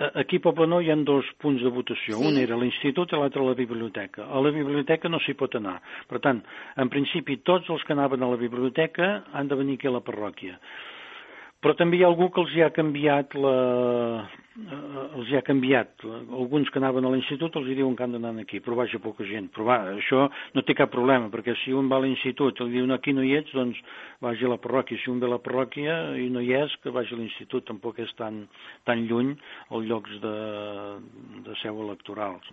Aquí a Poblenou hi ha dos punts de votació. Sí. Un era l'institut i l'altre la biblioteca. A la biblioteca no s'hi pot anar. Per tant, en principi, tots els que anaven a la biblioteca han de venir aquí a la parròquia. Però també hi ha algú que els hi ha canviat alguns que anaven a l'institut els hi diuen que han d'anar aquí, però vaja poca gent. Però va, això no té cap problema, perquè si un va a l'institut i li diuen aquí no hi ets, doncs vagi a la parròquia. Si un ve a la parròquia i no hi és, que vagi a l'institut, tampoc és tan lluny els llocs de seu electorals.